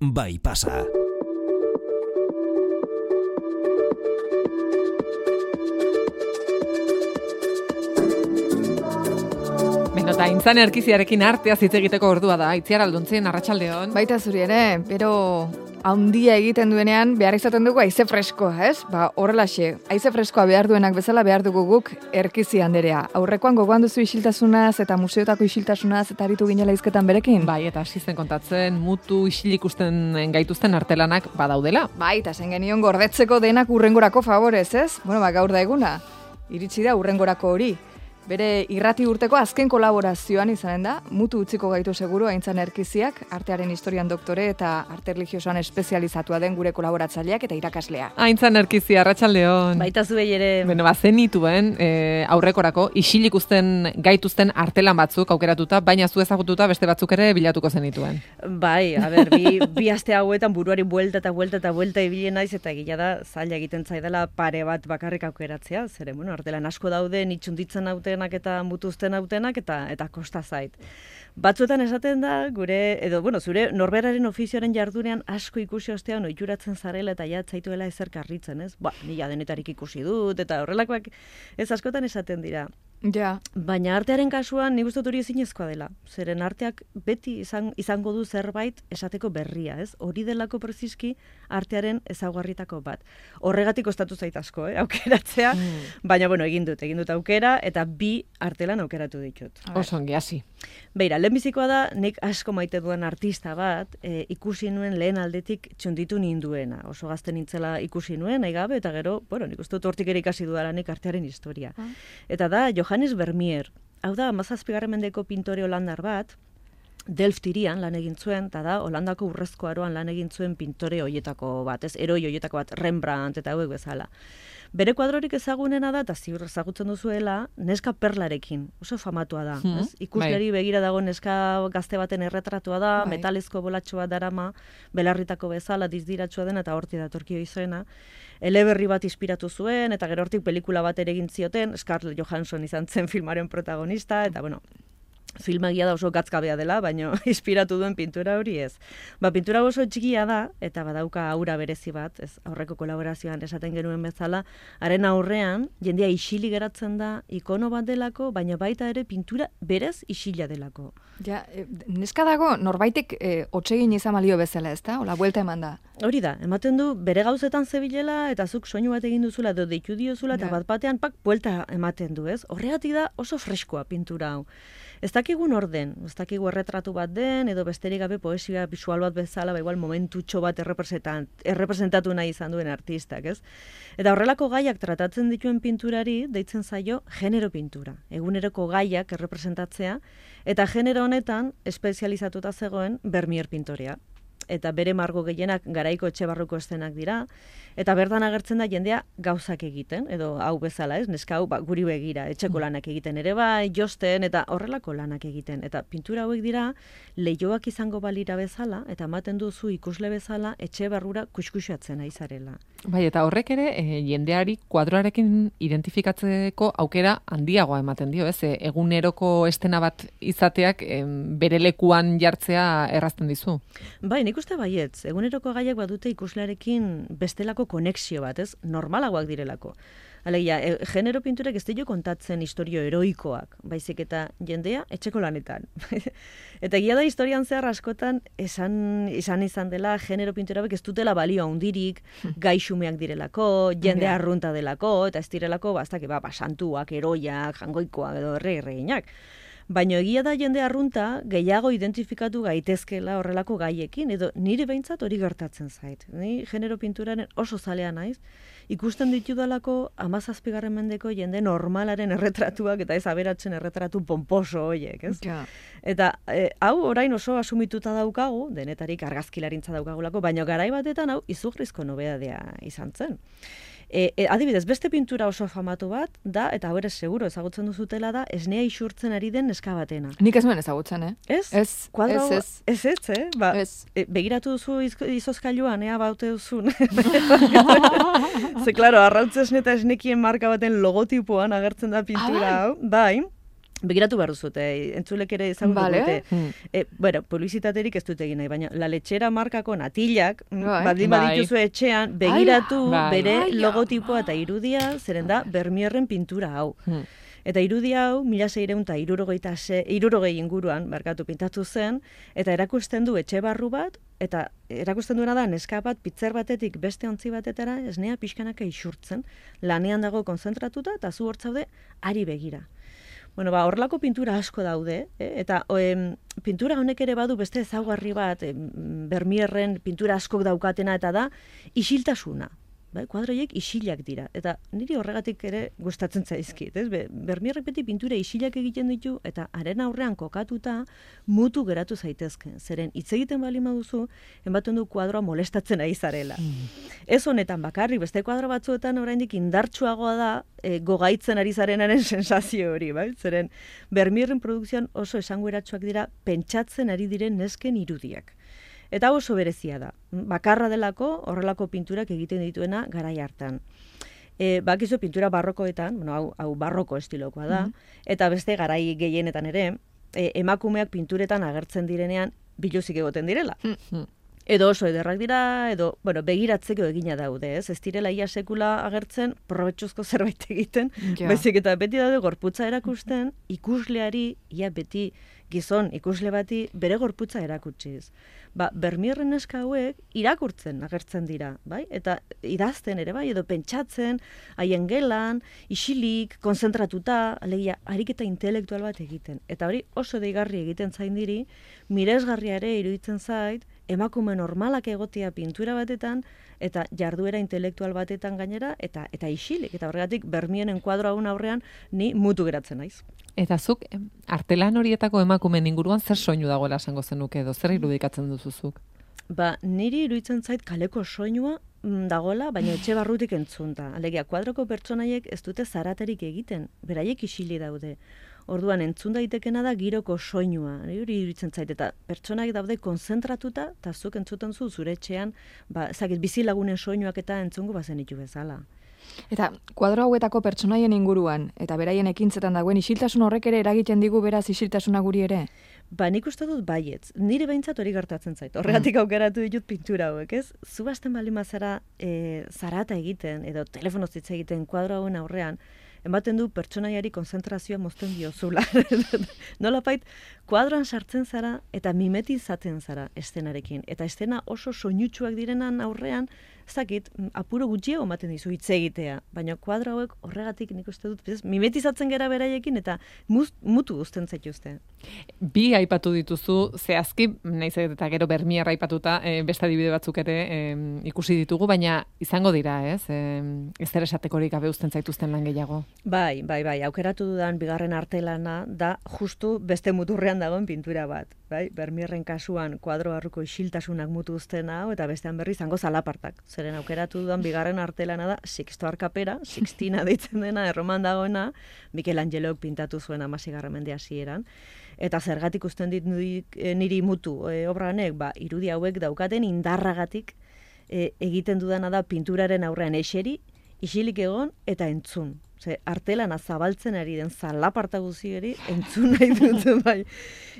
Bai pasa. Eta Intzan Erkiziarekin artea hitz egiteko ordua da. Itziar Alduntzen, arratsaldeon. Baita zuri ere, pero handia egiten duenean behar izaten dugu haize freskoa, ez? Horrelaxe, haize freskoa behar duenak bezala behar dugu guk Erkizi anderea. Aurrekoan gogoan duzu isiltasunaz eta museotako isiltasunaz eta aritu ginela hizketan berekin? Bai, eta hasi zen kontatzen mutu isil ikusten gaituzten artelanak badaudela. Bai, eta zen genion gordetzeko denak urrengorako favorez, ez? Gaur da eguna. Iritsi da urrengorako hori. Bere irrati urteko azken kolaborazioan izanen da, mutu utziko gaitu seguru Aintzan Erkiziak, artearen historian doktore eta arte religiosoan espezializatua den gure kolaboratzaileak eta irakaslea. Aintzan Erkizia, arratsaldeon. Baita zuei ere. Beno, zenituen aurrekorako isil ikusten gaituzten artelan batzuk aukeratuta, baina zu ezagututa beste batzuk ere bilatuko zenituen. Bai, bi aste hauetan buruari buelta ibili naiz eta egia da zaila egiten zaidala pare bat bakarrik aukeratzea, zeren, artelan asko daude, itxunditzen hauten eta mutuzten hautenak eta kosta zait. Batzuetan esaten da, zure norberaren ofizioaren jardunean asko ikusi ostean ohituratzen zarela eta ja zaituela ezer karritzen, ez? Nila denetarik ikusi dut eta horrelakoak ez askotan esaten dira. Ja. Baina artearen kasuan nik uste dut hori ezinezkoa dela. Zeren arteak beti izango du zerbait esateko berria, ez? Hori delako preziski artearen ezaugarritako bat. Horregatik kostatu zait asko, aukeratzea, baina egin dut aukera eta bi artelan aukeratu ditut. Oso ongi, hasi. Beira, lehenbizikoa da, nik asko maite duen artista bat, ikusi nuen lehen aldetik txunditu ninduena. Oso gazte nintzela ikusi nuen, nahi gabe, eta gero, nik uste dut hortik ere ikasi dudalanik artearen historia. Eta da, Johannes Vermeer, hau da, 17. mendeko pintore holandar bat, Delft hirian lan egin zuen, eta da, Holandako urrezko aroan lan egin zuen pintore hoietako bat, heroi hoietako bat, Rembrandt eta hauek bezala. Bere kuadrorik ezagunena da, eta ziur ezagutzen duzuela, neska perlarekin, oso famatua da. Ikusleri begira dago neska gazte baten erretratua da, metalezko bolatxo bat darama, belarritako bezala, dizdiratsua dena, eta horti datorkio izena. Eleberri bat inspiratu zuen, eta gero hortik pelikula bat ere egin zioten, Scarlett Johansson izan zen filmaren protagonista, eta filmagia da oso gatzkabea dela, baina inspiratu duen pintura hori ez. Pintura oso txikia da, eta badauka aura berezi bat, ez aurreko kolaborazioan esaten genuen bezala, haren aurrean, jendea isili geratzen da, ikono bat delako, baina baita ere pintura berez isila delako. Ja, neska dago, norbaitek hotsegin izan balio bezala, ez da? Ola, buelta eman da. Hori da, ematen du, bere gauzetan zebilela, eta zuk soinu bat egin duzula, edo deitu diozula, eta bat-batean buelta ematen du, ez? Horregatik da oso freskoa pintura hau. Ez dakigun orden, ez dakigu erretratu bat den, edo besterik gabe poesia visual bat bezala, igual momentutxo bat errepresentatu nahi izan duen artistak, ez? Eta horrelako gaiak tratatzen dituen pinturari, deitzen zaio genero pintura. Eguneroko gaiak errepresentatzea, eta genero honetan espezializatuta zegoen Vermeer pintorea. Eta bere margo gehienak garaiko etxe barruko eszenak dira, eta bertan agertzen da jendea gauzak egiten, edo hau bezala, ez? Neska hau guri begira, etxeko lanak egiten ere bai, josten, eta horrelako lanak egiten. Eta pintura hauek dira, leihoak izango balira bezala, eta ematen duzu ikusle bezala, etxe barrura kuskusatzen ari zarela. Bai, eta horrek ere, jendeari kuadroarekin identifikatzeko aukera handiagoa ematen dio, ez? Eguneroko estena bat izateak bere lekuan jartzea errazten dizu. Bai, nik uste baietz, eguneroko gaiak badute ikuslearekin bestelako konexio bat, ez? Normalagoak direlako. Alegia, genero pinturek ez dio kontatzen historio heroikoak, baizik eta jendea etxeko lanetan. Eta egia da historian zehar askotan izan dela genero pinturabek ez dutela balio handirik, gaixumeak direlako, jende arrunta delako, eta ez direlako, santuak, heroiak, jangoikoak edo erreginak. Baina egia da jende arrunta gehiago identifikatu gaitezkela horrelako gaiekin, edo nire behintzat hori gertatzen zait. Ni genero pinturaren oso zalea naiz, ikusten ditudalako 17. mendeko jende normalaren erretratuak eta ez aberatzen erretratu pomposo horiek, ez? Ja. Eta hau orain oso asumituta daukagu, denetarik argazkilarintza daukagulako, baina garai batetan hau izugarrizko nobedadea izan zen. Adibidez, beste pintura oso famatu bat da, eta hau ere seguro ezagutzen duzutela da, esnea isurtzen ari den neska batena. Nik ez nuen ezagutzen, Ez? Ez. Begiratu duzu izozkailuan, baute duzun. Ze, klaro, arrautzesne eta esnekien marka baten logotipoan agertzen da pintura hau, bai. begiratu behar duzute, entzulek ere ezagutu Vale. dute. Bueno, publizitaterik ez dut egin nahi, baina La Lechera markako natilak, Bai. baldin Bai. badituzu etxean, begiratu Bai. bere Ai, logotipoa eta irudia, zeren da, Bermierren pintura hau. Eta irudia hau, 1660 inguruan, barkatu pintatu zen, eta erakusten du etxe barru bat, eta erakusten duena da, neska bat, pitzer batetik beste ontzi batetara, esnea pixkanaka isurtzen, lanean dago konzentratuta, eta zu hortzaude, ari begira. Bueno, horrelako pintura asko daude, eta pintura honek ere badu beste ezaugarri bat, Bermierren pintura askok daukatena, eta da, isiltasuna. Bai, kuadroiek isilak dira, eta niri horregatik ere gustatzen zaizkit, ez? Bermierrek beti pintura isilak egiten ditu, eta haren aurrean kokatuta mutu geratu zaitezke. Zeren hitz egiten bali maduzu, enbaten du kuadroa molestatzen ari zarela. Ez honetan bakarrik, beste kuadro batzuetan oraindik indartsuagoa da gogaitzen ari zarenaren sensazio hori, bai? Zeren Bermierren produkzioan oso esanguratsuak dira pentsatzen ari diren nesken irudiak. Eta oso berezia da. Bakarra delako horrelako pinturak egiten dituena garai hartan. Bakizu pintura barrokoetan, bueno, hau barroko estilokoa da, eta beste garai gehienetan ere, emakumeak pinturetan agertzen direnean biluzik egoten direla. Edo oso ederrak dira, edo, bueno, begiratzeko egina daude, ez? Ez direla ia sekula agertzen, probetxuzko zerbait egiten, baizik eta beti daude gorputza erakusten, ikusleari, ia beti gizon ikusle bati bere gorputza erakutsiz. Bermierren neska hauek irakurtzen agertzen dira, bai? Eta idazten ere bai, edo pentsatzen, haien gelan, isilik, konzentratuta, alegia, ariketa intelektual bat egiten. Eta hori oso deigarri egiten zain diri, miresgarria ere iruditzen zait, emakume normalak egotea pintura batetan, eta jarduera intelektual batetan gainera, eta isilik. Eta horregatik, Bermieren kuadro haun aurrean, ni mutu geratzen naiz. Eta zuk, artelan horietako emakumeen inguruan zer soinu dagoela esango zenuke edo, zer irudikatzen duzuzuk? Niri iruditzen zait kaleko soinua dagoela, baina etxe barrutik entzunta. Alegia, kuadroko pertsonaiek ez dute zaraterik egiten, beraiek isili daude. Orduan entzun daitekena da giroko soinua, hori iruditzen zait, eta pertsonak daude konzentratuta, eta zuk entzuten zu zure etxean, bizilagunen soinuak eta entzungo bazenitu bezala. Eta kuadro hauetako pertsonaien inguruan, eta beraien ekintzetan dagoen isiltasun horrek ere eragiten digu beraz isiltasuna guri ere? Nik uste dut baietz. Nire behintzat hori gertatzen zait. Horregatik aukeratu ditut pintura hauek, ez? Zu basten bali mazara zarata egiten, edo telefonoz hitz egiten kuadro hauen aurrean, ematen du pertsonaiari konzentrazioa mozten diozula. Nolapait, kuadroan sartzen zara eta mimetizatzen zara estenarekin. Eta estena oso soinutsuak direnan aurrean, zakit, apuro gutxiago ematen dizu hitz egitea. Baina kuadro hauek horregatik nik uste dut, mimetizatzen gera beraiekin eta mutu guzten zaituzte. Bi aipatu dituzu, zehazki, nahiz eta gero Bermier aipatuta, beste adibide batzuk ere ikusi ditugu, baina izango dira, ez? Ez zer esatekorik gabe uzten zaituzten lan gehiago. Bai, aukeratu dudan bigarren artelana da justu beste muturrean dagoen pintura bat. Bai, Bermierren kasuan kuadro barruko isiltasunak mutu uzten hau, eta bestean berri izango zalapartak. Zeren aukeratu dudan bigarren artelana da Sixtoar kapera, Sixtina deitzen dena, Erroman dagoena, Michelangelok pintatu zuen 16. mende hasieran. Eta zergatik usten dit niri mutu obra honek, irudi hauek daukaten indarragatik egiten dudana da pinturaren aurrean eseri, isilik egon eta entzun. Artelana zabaltzen ari den zalaparta guztiari entzun nahi dut bai.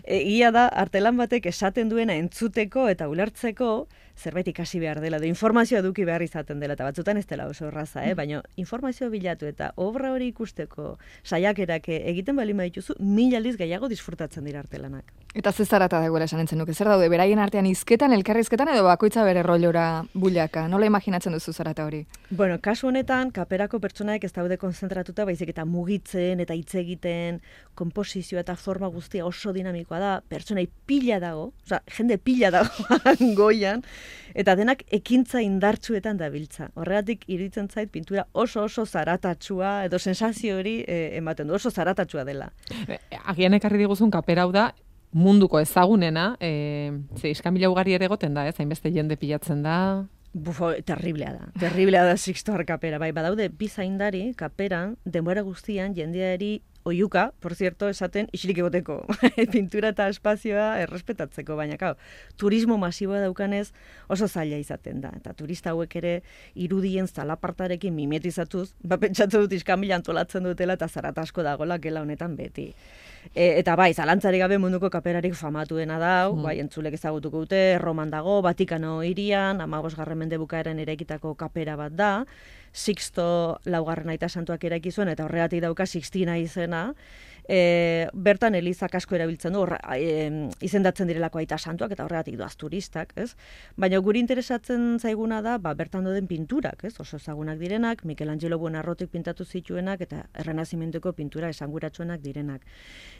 Egia da, artelan batek esaten duena entzuteko eta ulertzeko zerbait ikasi behar dela, informazioa eduki behar izaten dela, eta batzutan ez dela oso erraza, baina informazioa bilatu eta obra hori ikusteko saiakerak egiten bali badituzu, 1000 aldiz gehiago disfrutatzen dira artelanak. Eta ze zarata dagoela esan entzen nuke, zer daude, beraien artean hizketan, elkarrizketan edo bakoitza bere rolora bulaka, nola imaginatzen duzu zarata hori? Bueno, kasu honetan, kaperako pertsonaek ez daude konzentratuta, baizik eta mugitzen eta hitz egiten, konposizioa eta forma guztia oso dinamikoa da, pertsonai pila dago, jende pila dago goian, eta denak ekintza indartsuetan dabiltza. Horregatik iruditzen zait pintura oso zaratatsua edo sensazio hori ematen du, oso zaratatsua dela. Agian ekarri diguzun kapera hau da, munduko ezagunena, iskanbila ugari ere egoten da, hainbeste jende pilatzen da. Terriblea da Sixtoar kapera. Badaude bi zaindari kaperan, denbora guztian jendeari oiuka, por cierto, esaten isilik egoteko, pintura eta espazioa errespetatzeko, baina turismo masiboa daukanez oso zaila izaten da. Eta turista hauek ere irudien zalapartarekin mimetizatuz, pentsatu dut iskamila antolatzen dutela eta zarat asko dagoela gela honetan beti. Eta bai, zalantzarik gabe munduko kaperarik famatuena da, bai, entzulek ezagutuko dute, Roman dago, Vatikano hirian, 15. mende bukaeran eraikitako kapera bat da, Sixto laugarren aita santuak eraiki zuen, eta horregatik dauka Sixtina izena, bertan elizak asko erabiltzen du, izendatzen direlako aita santuak, eta horregatik doaz turistak, ez? Baina guri interesatzen zaiguna da, bertan doden pinturak, ez? Oso ezagunak direnak, Michelangelo Buonarrotek pintatu zituenak, eta Errenazimentuko pintura esanguratsuenak direnak.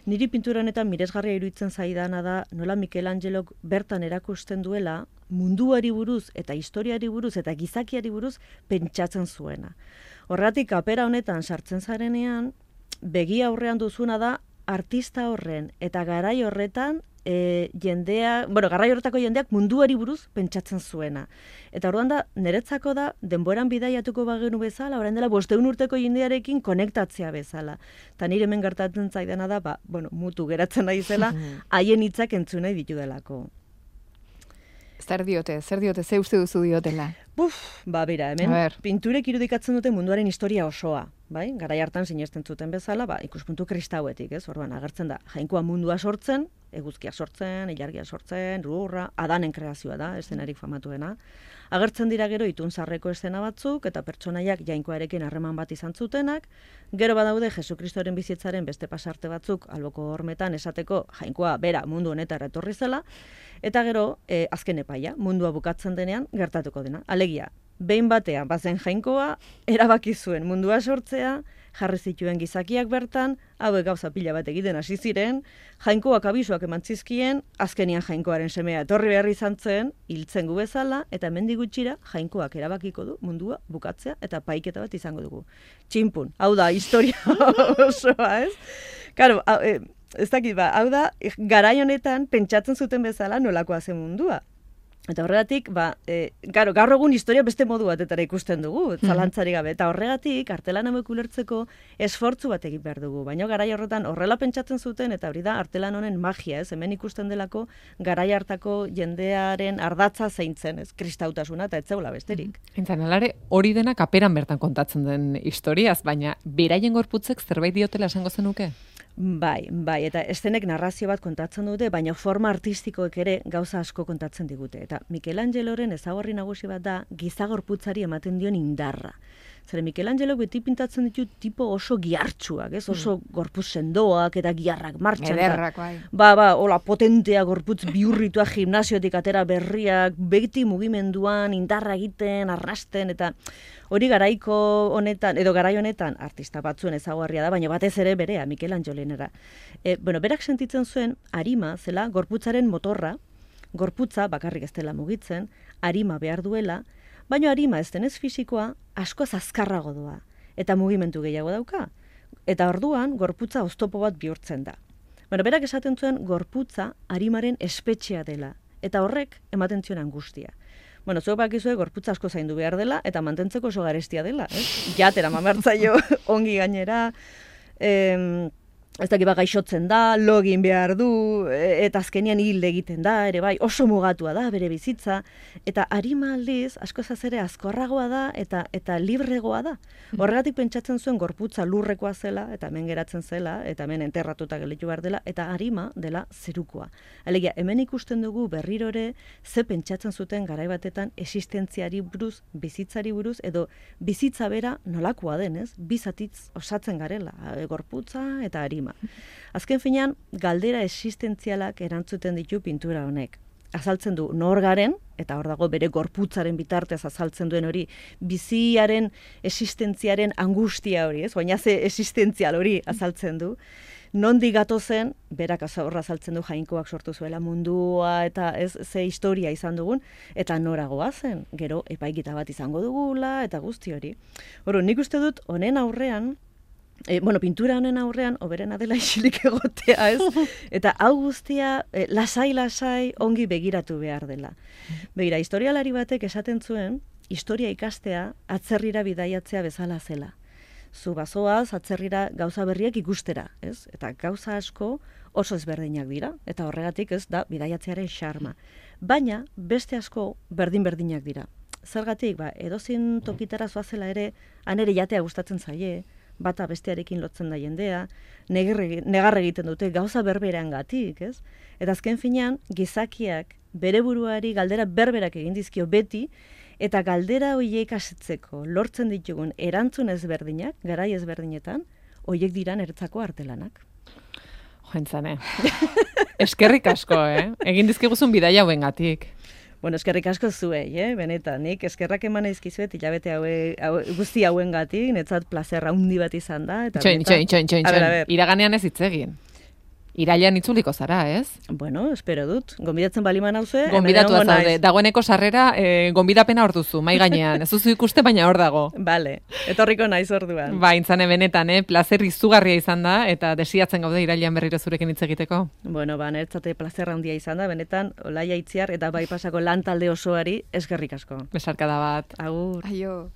Niri pintura honetan miresgarria iruditzen zaidana da, nola Michelangelok bertan erakusten duela, munduari buruz, eta historiari buruz, eta gizakiari buruz, pentsatzen zuena. Horregatik, kapera honetan sartzen zarenean, begi aurrean duzuna da, artista horren, eta garai horretan, garai horretako jendeak munduari buruz pentsatzen zuena. Eta orduan da, niretzako da, denboran bidaiatuko bagenu bezala, orain dela 500 urteko jendearekin konektatzea bezala. Eta nire hemen gertatzen zaidana da, mutu geratzen nahi zela, haien hitzak entzun nahi ditudelako. Zer diote, ze uste duzu diotela? Bera, hemen pinturek irudikatzen dute munduaren historia osoa, bai? Garai hartan sinesten zuten bezala, ikuspuntu kristauetik, ez? Orduan agertzen da, jainkoa mundua sortzen, eguzkia sortzen, ilargia sortzen, lurra, Adanen kreazioa da, eszenarik famatuena. Agertzen dira gero itunzarreko eszena batzuk, eta pertsonaiak jainkoarekin harreman bat izan zutenak, gero badaude Jesukristoren bizitzaren beste pasarte batzuk, alboko hormetan esateko jainkoa bera mundu honetara etorri zela, eta gero azken epaia, mundua bukatzen denean gertatuko dena. Alegia, behin batean bazen jainkoa, erabaki zuen mundua sortzea, jarri zituen gizakiak bertan, hauek gauza pila bat egiten hasi ziren, jainkoak abisuak eman zizkien, azkenian jainkoaren semea etorri behar izan zen, hiltzen gu bezala, eta hemendik gutxira jainkoak erabakiko du mundua bukatzea eta paiketa bat izango dugu. Txinpun, hau da historia osoa, ez? Karo, ez dakit hau da, garai honetan pentsatzen zuten bezala nolakoa zen mundua. Eta horregatik, gaur egun historia beste modu batetara ikusten dugu, zalantzari gabe. Eta horregatik, artelan hauek ulertzeko esfortzu bat egin behar dugu. Baina garai horretan horrela pentsatzen zuten, eta hori da artelan honen magia, ez? Hemen ikusten delako garai hartako jendearen ardatza zeintzen, ez? Kristautasuna eta etzeula besterik. Entzan, alare, hori dena kaperan bertan kontatzen den historiaz, baina beraien gorputzek zerbait diotela esango zenuke? Bai, eta eszenek narrazio bat kontatzen dute, baina forma artistikoek ere gauza asko kontatzen digute. Eta Michelangeloren ezaugarri nagusi bat da gizagorputzari ematen dion indarra. Zere Michelangelok beti pintatzen ditu tipo oso gihartsuak, ez? Oso gorputz sendoak eta giharrak martxan. Ederrak, bai. Hola potentea gorputz bihurritua gimnasiotik atera berriak, beti mugimenduan, indarra egiten, arrasten, eta hori garaiko honetan, edo garai honetan, artista batzuen ezaugarria da, baina batez ere berea, Michelangelorenera. Berak sentitzen zuen, arima zela gorputzaren motorra, gorputza bakarrik ez dela mugitzen, arima behar duela, baina arima ez denez fisikoa asko azkarrago doa, eta mugimendu gehiago dauka. Eta orduan, gorputza oztopo bat bihurtzen da. Berak esaten zuen gorputza arimaren espetxea dela, eta horrek ematen zion angustia. Zuek bakizue gorputza asko zaindu behar dela, eta mantentzeko oso garestia dela, ez? Jatera mamertzaio ongi gainera, ez dakit gaixotzen da, login behar du, eta azkenian hil egiten da, ere bai, oso mugatua da bere bizitza, eta arima aldiz, asko ere azkorragoa da, eta libregoa da. Horregatik pentsatzen zuen gorputza lurrekoa zela, eta hemen geratzen zela, eta hemen enterratuta gelitu behar dela, eta arima dela zerukoa. Alegia, hemen ikusten dugu berrirore, ze pentsatzen zuten garai batetan existentziari buruz, bizitzari buruz, edo bizitza bera nolakoa denez, bizatitz osatzen garela, gorputza eta arima. Azken finean, galdera existentzialak erantzuten ditu pintura honek. Azaltzen du nor garen, eta hor dago bere gorputzaren bitartez azaltzen duen hori, biziaren existentziaren angustia hori, ez? Baina ze existentzial hori azaltzen du. Nondik gatozen, berak horra azaltzen du jainkoak sortu zuela mundua, eta ez ze historia izan dugun, eta noragoa zen, gero epaiketa bat izango dugula, eta guzti hori. Nik uste dut, honen aurrean, pintura honen aurrean, oberena dela isilik egotea, ez? Eta hau guztia, lasai-lasai ongi begiratu behar dela. Begira, historialari batek esaten zuen, historia ikastea atzerrira bidaiatzea bezala zela. zu bazoaz atzerrira gauza berriak ikustera, ez? Eta gauza asko oso ezberdinak dira, eta horregatik ez da bidaiatzearen xarma. Baina beste asko berdin-berdinak dira. Zergatik, edozin tokitara zoazela ere, anere jatea gustatzen zaie, bata bestearekin lotzen da jendea, negar egiten dute gauza berberangatik, ez? Eta azken finean, gizakiak bere buruari galdera berberak egin dizkio beti, eta galdera horiek asetzeko lortzen ditugun erantzun ezberdinak, garai ezberdinetan, horiek dira niretzako artelanak. Joentzane. Eskerrik asko, Egin dizkiguzun bidaia hauengatik. Bueno, eskerrik asko zuei, benetan, nik eskerrak eman eizkizuet hilabete guzti hauengatik, netzat plazer handi bat izan da. Txoin. Iraganean ez hitz egin. Irailean itzuliko zara, ez? Bueno, espero dut. Gonbidatzen baliman hauze. Gonbidatua zaude. Dagoeneko sarrera, gonbidapena hor duzu, mai gainean. Ez duzu ikuste, baina hor dago. Bale, etorriko naiz orduan. Intzane benetan, plazer izugarria izan da, eta desiatzen gaude irailean berriro zurekin hitz egiteko. Bueno, niretzate plazer handia izan da, benetan, Olaia Itziar eta bai pasako lan talde osoari eskerrik asko. Besarkada bat. Agur. Aio.